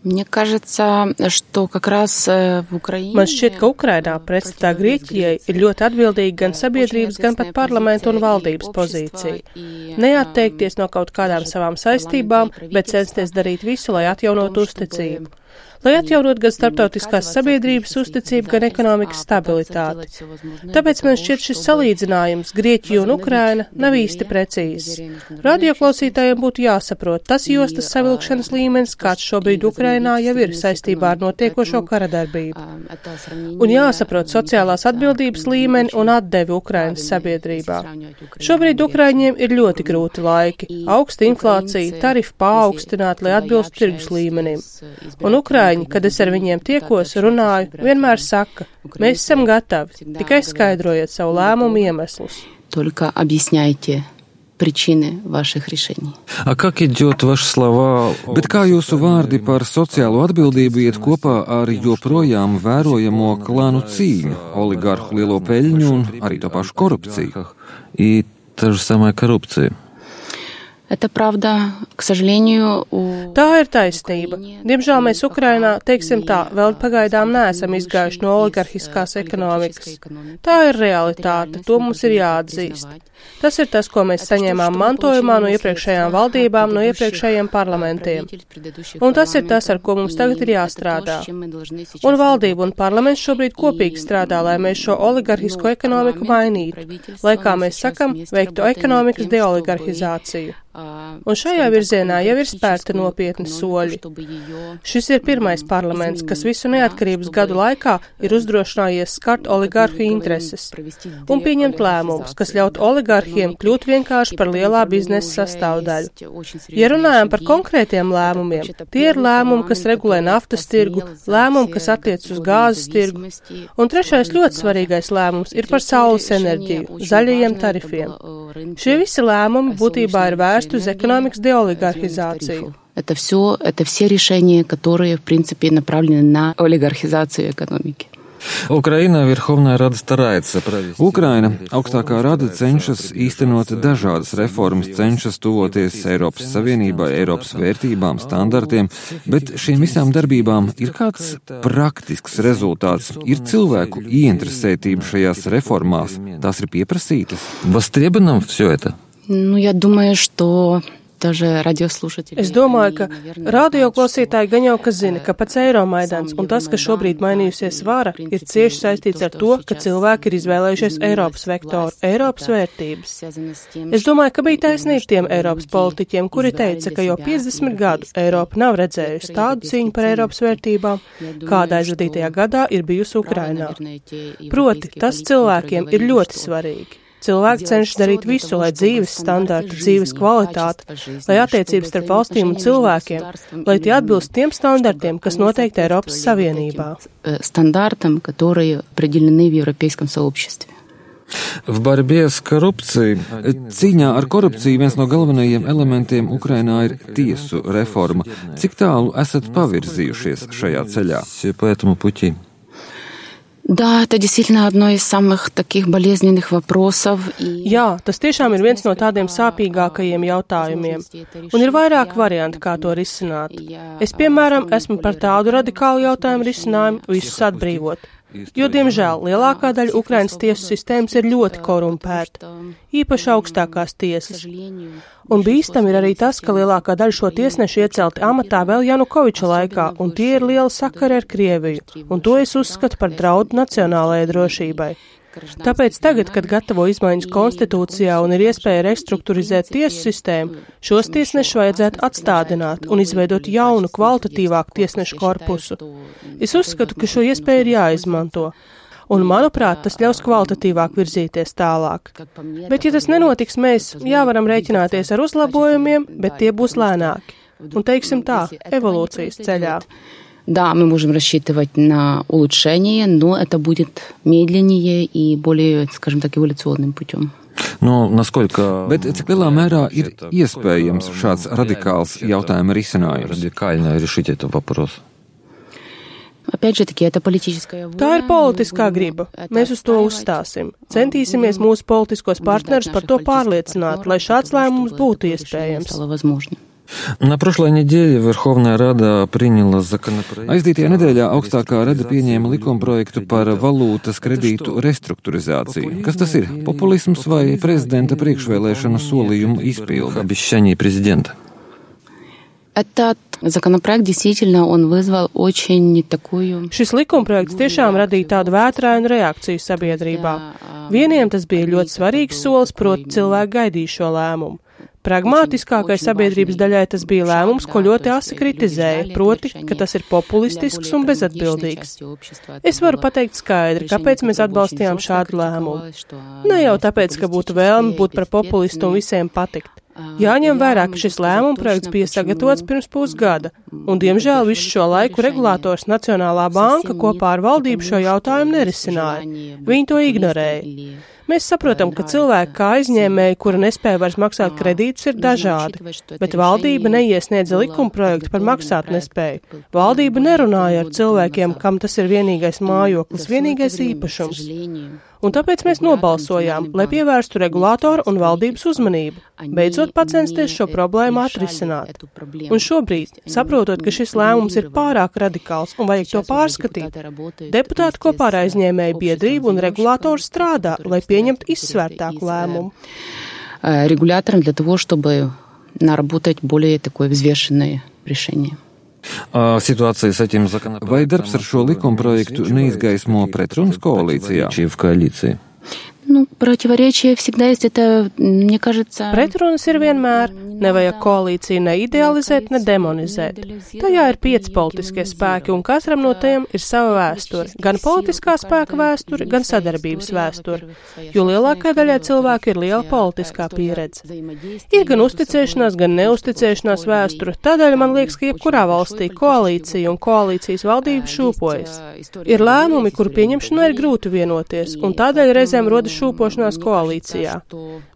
Man šķiet, ka Ukrainā pretstatā Grieķijai ir ļoti atbildīga gan sabiedrības, gan pat parlamenta un valdības pozīcija. Neatteikties no kaut kādām savām saistībām, bet censties darīt visu, lai atjaunotu uzticību. Lai atjaunot gan starptautiskās sabiedrības uzticību, gan ekonomikas stabilitāti. Tāpēc man šķiet šis salīdzinājums Grieķija un Ukraina nav īsti precīzs. Radioklausītājiem būtu jāsaprot, tas jostas savilkšanas līmenis, kāds šobrīd Ukrainā jau ir saistībā ar notiekošo karadarbību. Un jāsaprot sociālās atbildības līmeni un atdevi Ukrainas sabiedrībā. Šobrīd Ukraiņiem ir ļoti grūti laiki, augsta inflācija, tarifi paaugstināti, lai atbilstu tirgus līmenim. Un Ukraiņi, kad es ar viņiem tiekos, runāju, vienmēr saka, mēs esam gatavi, tikai skaidrojiet savu lēmumu iemeslus. Bet kā jūsu vārdi par sociālo atbildību iet kopā ar joprojām vērojamo klanu cīņu, oligarhu lielo peļņu un arī to pašu korupciju? Tā ir taisnība. Diemžēl mēs Ukrainā, teiksim tā, vēl pagaidām neesam izgājuši no oligarhiskās ekonomikas. Tā ir realitāte, to mums ir jāatzīst. Tas ir tas, ko mēs saņēmām mantojumā no iepriekšējām valdībām, no iepriekšējiem parlamentiem. Un tas ir tas, ar ko mums tagad ir jāstrādā. Un valdība un parlaments šobrīd kopīgi strādā, lai mēs šo oligarhisko ekonomiku mainītu, lai, kā mēs sakam, veiktu ekonomikas deoligarhizāciju. Un šajā virzienā jau ir spērta nopietni soļi. Šis ir pirmais parlaments, kas visu neatkarības gadu laikā ir uzdrošinājies skart oligarhu intereses un pieņemt lēmumus, kas ļaut oligarhiem kļūt vienkārši par lielā biznesa sastāvdaļu. Ja runājam par konkrētiem lēmumiem, tie ir lēmumi, kas regulē naftas tirgu, lēmumi, kas attiec uz gāzes tirgu. Un trešais ļoti svarīgais lēmums ir par saules enerģiju, zaļajiem tarifiem. Šie visi lēmumi būtībā ir vērsti uz ekonomikas деолигархизацию. Это все решения, которые, в принципе, направлены на олигархизацию экономики. Ukraina augstākā rada cenšas īstenot dažādas reformas, cenšas tuvoties Eiropas Savienībai, Eiropas vērtībām, standartiem, bet šīm visām darbībām ir kāds praktisks rezultāts, ir cilvēku ieinteresētība šajās reformās, tās ir pieprasītas. Востребовано все это? Я думаю, что Es domāju, ka radioklausītāji gan jau kas zina, ka pats Eiromaidans un tas, ka šobrīd mainījusies vara, ir cieši saistīts ar to, ka cilvēki ir izvēlējušies Eiropas vektoru, Eiropas vērtības. Es domāju, ka bija taisnība tiem Eiropas politiķiem, kuri teica, ka jau 50 gadu Eiropa nav redzējusi tādu cīņu par Eiropas vērtībām, kāda aizvadītajā gadā ir bijusi Ukrainā. Proti, tas cilvēkiem ir ļoti svarīgi. Cilvēki cenšas darīt visu, lai dzīves standarti, dzīves kvalitāte, lai attiecības starp valstīm un cilvēkiem, lai tie atbilst tiem standartiem, kas noteikti Eiropas Savienībā. Standartam, которые определены в европейском сообществе. Cīņā ar korupciju viens no galvenajiem elementiem Ukrainā ir tiesu reforma. Cik tālu esat pavirzījušies šajā ceļā? Да, это действительно одно из самых таких болезненных вопросов. Jā, tas tiešām ir viens no tādiem sāpīgākajiem jautājumiem. Un ir vairāk varianti, kā to risināt. Es, piemēram, esmu par tādu radikālu jautājumu risinājumu visus atbrīvot. Jo, diemžēl, lielākā daļa Ukrainas tiesu sistēmas ir ļoti korumpēta, īpaši augstākās tiesas. Un bīstam ir arī tas, ka lielākā daļa šo tiesnešu iecelti amatā vēl Janukoviča laikā, un tie ir liela sakari ar Krieviju, un to es uzskatu par draudu nacionālajai drošībai. Tāpēc tagad, kad gatavo izmaiņas konstitūcijā un ir iespēja restruktūrizēt tiesu sistēmu, šos tiesnešus vajadzētu atstādināt un izveidot jaunu, kvalitatīvāku tiesnešu korpusu. Es uzskatu, ka šo iespēju ir jāizmanto. Un, manuprāt, tas ļaus kvalitatīvāk virzīties tālāk. Bet, ja tas nenotiks, mēs varam rēķināties ar uzlabojumiem, bet tie būs lēnāki. Un, teiksim tā, evolūcijas ceļā. Да, мы можем рассчитывать на улучшение, но это будет медленнее и более, скажем так, эволюционным путем. Bet cik lielā mērā ir iespējams šāds radikāls jautājuma risinājums? Tā ir politiskā griba. Mēs uz to uzstāsim. Centīsimies mūsu politiskos partnerus par to pārliecināt, lai šāds lēmums būtu iespējams. На прошлой неделе Верховная Рада приняла законопроект. Aizdītajā nedēļā augstākā rada pieņēma likumprojektu par valūtas kredītu restruktūrizāciju. Kas tas ir? Populisms vai prezidenta priekšvēlēšanu solījumu izpilde? Обещание президента. Этот законопроект действительно он вызвал очень такую. Šis likumprojekts tiešām radīja tādu vētrainu reakciju sabiedrībā. Vieniem tas bija ļoti svarīgs solis, proti cilvēki gaidīja šo lēmumu. Pragmātiskākai sabiedrības daļai tas bija lēmums, ko ļoti asi kritizēja, proti, ka tas ir populistisks un bezatbildīgs. Es varu pateikt skaidri, kāpēc mēs atbalstījām šādu lēmumu. Ne jau tāpēc, ka būtu vēlme būt par populistu un visiem patikt. Jāņem vērā, ka šis lēmuma projekts bija sagatavots pirms pusgada, un, diemžēl, visu šo laiku regulators Nacionālā banka kopā ar valdību šo jautājumu nerisināja. Viņi to ignorēja. Mēs saprotam, ka cilvēki kā aizņēmēji, kuri nespēja vairs maksāt kredītus, ir dažādi, bet valdība neiesniedza likumprojektu par maksātnespēju. Valdība nerunāja ar cilvēkiem, kam tas ir vienīgais mājoklis, vienīgais īpašums. Un tāpēc mēs nobalsojām, lai pievērstu regulātoru un valdības uzmanību, beidzot pacensties šo problēmu atrisināt. Un šobrīd, saprotot, ka šis lēmums ir pārāk radikāls un vajag to pārskatīt, deputāti kopā ar aizņēmēju biedrību un regulātoru strādā, lai pieņemtu izsvērtāku lēmumu. Регулятором для того, чтобы наработать более такое взвешенное решение. Situācija ar šiem законопроектом. Vai darbs ar šo likumprojektu neizgaismo pretrunas koalīcijā? Ну, противоречие всегда есть, это, мне кажется... Pretrunas ir vienmēr. Nevajag koalīciju ne idealizēt, ne demonizēt. Tajā ir 5 politiskie spēki, un katram no tiem ir sava vēsture. Gan politiskā spēka vēsture, gan sadarbības vēsture. Jo lielākai daļai cilvēku ir liela politiskā pieredze. Ir gan uzticēšanās, gan neuzticēšanās vēsture. Tādēļ man liekas, ka jebkurā valstī koalīcija un koalīcijas valdība šūpojas. Ir lēmumi, kuru pieņemšanā ir grūti vienoties, un tādēļ reizēm rodas šūpošanās koalīcijā.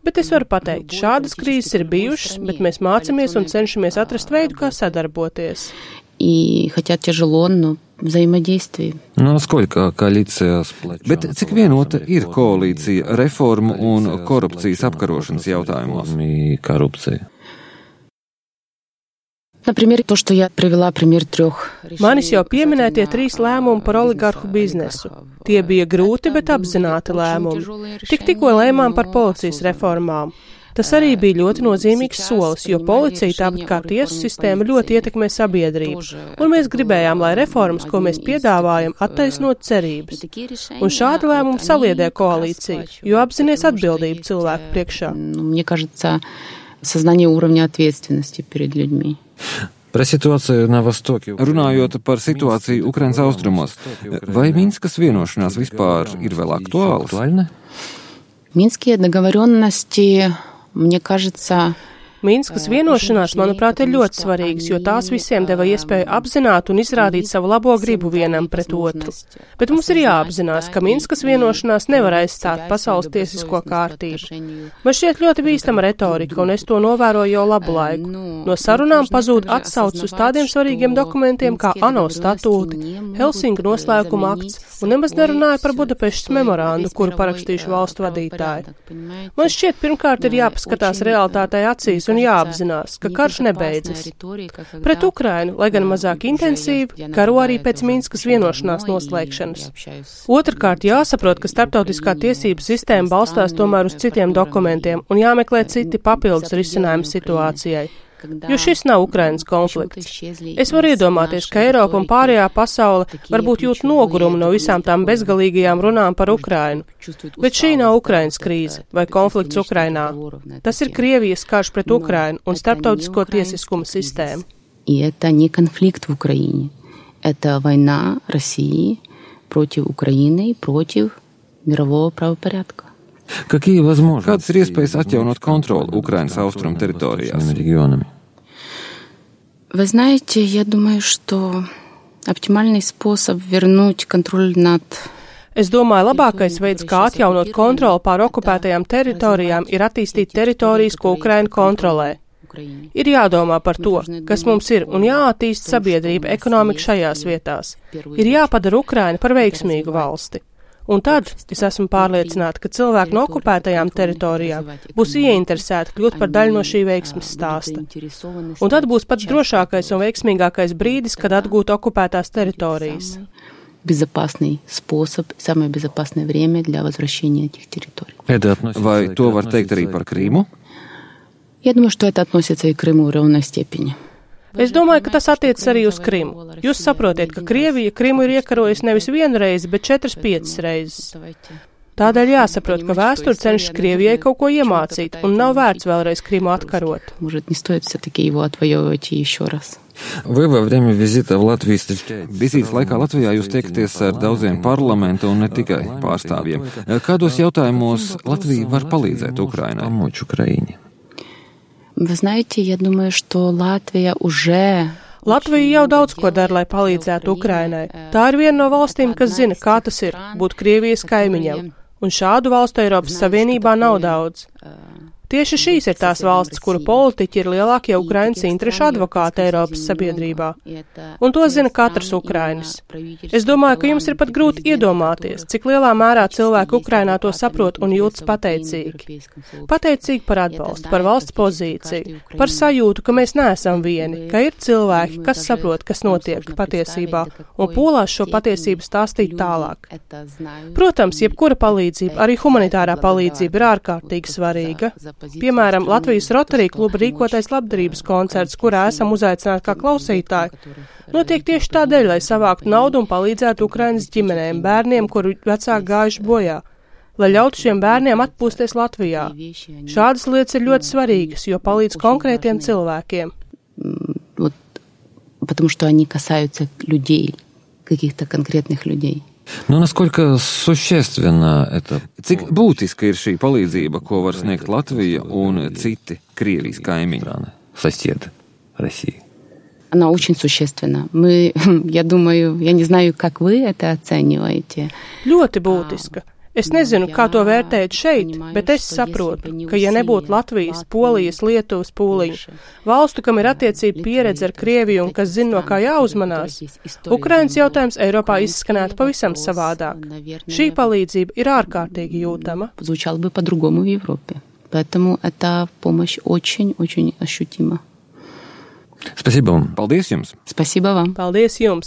Bet es varu pateikt, šādas krīzes ir bijušas, bet mēs mācamies un cenšamies atrast veidu, kā sadarboties. И хотя тяжело, но взаимодействие. Насколько коалīcija splečā? Bet cik vienota ir koalīcija reformu un korupcijas apkarošanas jautājumos? Korupcija. Например, то, что я привела пример 3. Manis jau pieminētie 3 lēmumi par oligarhu biznesu. Tie bija grūti, bet apzināti lēmumi. Tikko lēmām par policijas reformām. Tas arī bija ļoti nozīmīgs solis, jo policija, tāpat kā tiesu sistēma, ļoti ietekmē sabiedrību. Un mēs gribējām, lai reformas, ko mēs piedāvājam, attaisnot cerības. Un šādi lēmumi saliedē koalīciju, jo apzinies atbildību cilvēku priekšā. Мне кажется, сознание уровня ответственности перед людьми. Runājot par situāciju Ukrainas austrumos, vai Minskas vienošanās vispār ir vēl aktuāls? Minskие договоренности, мне кажется... Minskas vienošanās, manuprāt, ir ļoti svarīgas, jo tās visiem deva iespēju apzināt un izrādīt savu labo gribu vienam pret otru. Bet mums ir jāapzinās, ka Minskas vienošanās nevar aizstāt pasaules tiesisko kārtību. Man šķiet ļoti bīstama retorika, un es to novēroju jau labu laiku. No sarunām pazūd atsaucas uz tādiem svarīgiem dokumentiem kā ANO statūti, Helsinku noslēguma akts, un nemaz nerunāja par Budapeštas memorandu, kuru parakstījuši valstu vadītāji. Man šķiet, pirmkārt ir jāpaskatās realitātei acīs un jāapzinās, ka karš nebeidzas. Pret Ukrainu, lai gan mazāk intensīvi, karo arī pēc Minskas vienošanās noslēgšanas. Otrkārt, jāsaprot, ka starptautiskā tiesības sistēma balstās tomēr uz citiem dokumentiem un jāmeklē citi papildus risinājumi situācijai. Jo šis nav Ukrainas konflikts. Es varu iedomāties, ka Eiropa un pārējā pasaule varbūt jūt nogurumu no visām tām bezgalīgajām runām par Ukrainu. Bet šī nav Ukrainas krīze vai konflikts Ukrainā. Tas ir Krievijas karš pret Ukrainu un starptautisko tiesiskuma sistēmu. И это не конфликт в Украине. Это война России против Украины и против мирового правопорядка. Kādas ir iespējas atjaunot kontroli Ukrainas austrumu teritorijās? Вы знаете, я думаю, что оптимальный способ вернуть контроль над... Es domāju, labākais veids, kā atjaunot kontroli pār okupētajām teritorijām, ir attīstīt teritorijas, ko Ukraina kontrolē. Ir jādomā par to, kas mums ir, un jāattīst sabiedrība, ekonomika šajās vietās. Ir jāpadara Ukraina par veiksmīgu valsti. Un tad es esmu pārliecināta, ka cilvēki no okupētajām teritorijām būs ieinteresēti kļūt par daļu no šī veiksmes stāsta. Un tad būs pats drošākais un veiksmīgākais brīdis, kad atgūt okupētās teritorijas. Безопасный способ, самое безопасное время для возвращения этих территорий. Vai to var teikt arī par Krīmu? Я думаю, что это относится и к Крыму в равной степени. Es domāju, ka tas attiecas arī uz Krimu. Jūs saprotiet, ka Krievija Krimu ir iekarojusi nevis vienu reizi, bet 4-5 reizes. Tādēļ jāsaprot, ka vēsture cenšas Krievijai kaut ko iemācīt, un nav vērts vēlreiz Krimu atkarot. Может, не стоит все-таки его отвоевывать еще раз. Vai во время визита в Латвию встречаетесь? Vizītes laikā Latvijā jūs tiekaties ar daudziem parlamentu un ne tikai pārstāvjiem. Kādos jautājumos Latvija var palīdzēt Ukrainai? Помочь Украине. Вы знаете, я думаю, что Латвия уже... Latvija jau daudz ko dara, lai palīdzētu Ukrainai. Tā ir viena no valstīm, kas zina, kā tas ir būt Krievijas kaimiņam, un šādu valstu Eiropas Savienībā nav daudz. Tieši šīs ir tās valstis, kuru politiķi ir lielākie Ukrainas interešu advokāti Eiropas sabiedrībā. Un to zina katrs Ukrainis. Es domāju, ka jums ir pat grūti iedomāties, cik lielā mērā cilvēki Ukrainā to saprot un jūtas pateicīgi. Pateicīgi par atbalstu, par valsts pozīciju, par sajūtu, ka mēs neesam vieni, ka ir cilvēki, kas saprot, kas notiek patiesībā, un polās šo patiesību stāstīt tālāk. Protams, jebkura palīdzība, arī humanitārā palīdzība ir ārkārtīgi svarīga. Piemēram, Latvijas Rotary kluba rīkotais labdarības koncerts, kurā esam uzaicināti kā klausītāji, notiek tieši tādēļ, lai savāktu naudu un palīdzētu Ukrainas ģimenēm, bērniem, kuru vecāki gājuši bojā, lai ļautu šiem bērniem atpūsties Latvijā. Šādas lietas ir ļoti svarīgas, jo palīdz konkrētiem cilvēkiem. Потому что они касаются людей, каких-то конкретных людей. Nu, naskолько существенно это? Cik būtiska ir šī palīdzība, ko var sniegt Latvija un citi Krievijas kaimiņi? Соседи России. Она очень существенна. Я думаю, я не знаю, как вы это оцениваете. Ļoti būtiska. Es nezinu, kā to vērtēt šeit, bet es saprotu, ka ja nebūtu Latvijas, Polijas, Lietuvas pūliņu, valstu, kam ir attiecība pieredze ar Krieviju un kas zina, no kā jāuzmanās, Ukrainas jautājums Eiropā izskanētu pavisam savādāk. Šī palīdzība ir ārkārtīgi jūtama. Звучал бы по-другому в Европе. Поэтому эта помощь очень-очень ощутима. Спасибо вам. Paldies jums. Спасибо вам. Paldies jums.